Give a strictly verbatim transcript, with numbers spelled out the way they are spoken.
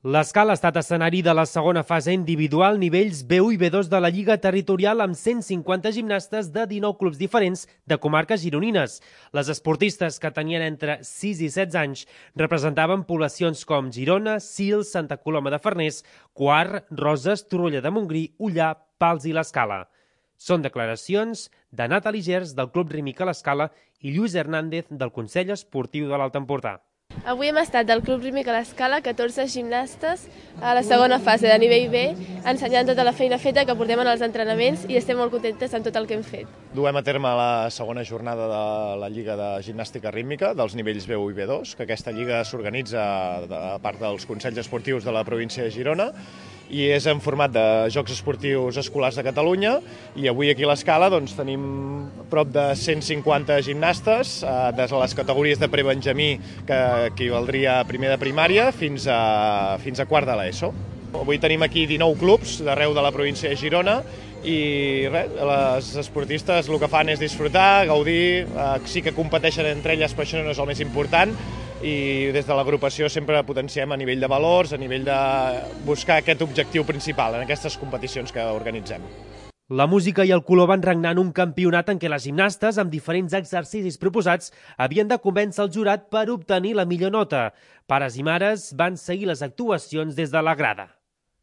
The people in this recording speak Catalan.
L'Escala ha estat escenari de la segona fase individual nivells B u i B dos de la Lliga Territorial amb cent cinquanta gimnastes de dinou clubs diferents de comarques gironines. Les esportistes, que tenien entre sis i setze anys, representaven poblacions com Girona, Sils, Santa Coloma de Farners, Quart, Roses, Torroella de Montgrí, Ullà, Pals i l'Escala. Són declaracions de Nathalie Gers, del Club Rímic a l'Escala, i Lluís Hernández, del Consell Esportiu de l'Alt Empordà. Avui hem estat del Club Rímic a l'Escala, catorze gimnastes a la segona fase de nivell B, ensenyant tota la feina feta que portem en els entrenaments i estem molt contentes amb tot el que hem fet. Duem a terme la segona jornada de la Lliga de Gimnàstica Rítmica dels nivells B u i B dos, que aquesta lliga s'organitza a part dels Consells Esportius de la província de Girona i és en format de Jocs Esportius Escolars de Catalunya, i avui aquí a l'Escala doncs, tenim prop de cent cinquanta gimnastes eh, des de les categories de prebenjamí, que equivaldria a primer de primària, fins a, fins a quart de l'ESO. Avui tenim aquí dinou clubs d'arreu de la província de Girona i res, les esportistes el que fan és disfrutar, gaudir, eh, sí que competeixen entre elles, però això no és el més important, i des de l'agrupació sempre potenciem a nivell de valors, a nivell de buscar aquest objectiu principal en aquestes competicions que organitzem. La música i el color van regnar en un campionat en què les gimnastes, amb diferents exercicis proposats, havien de convèncer el jurat per obtenir la millor nota. Pares i mares van seguir les actuacions des de la grada.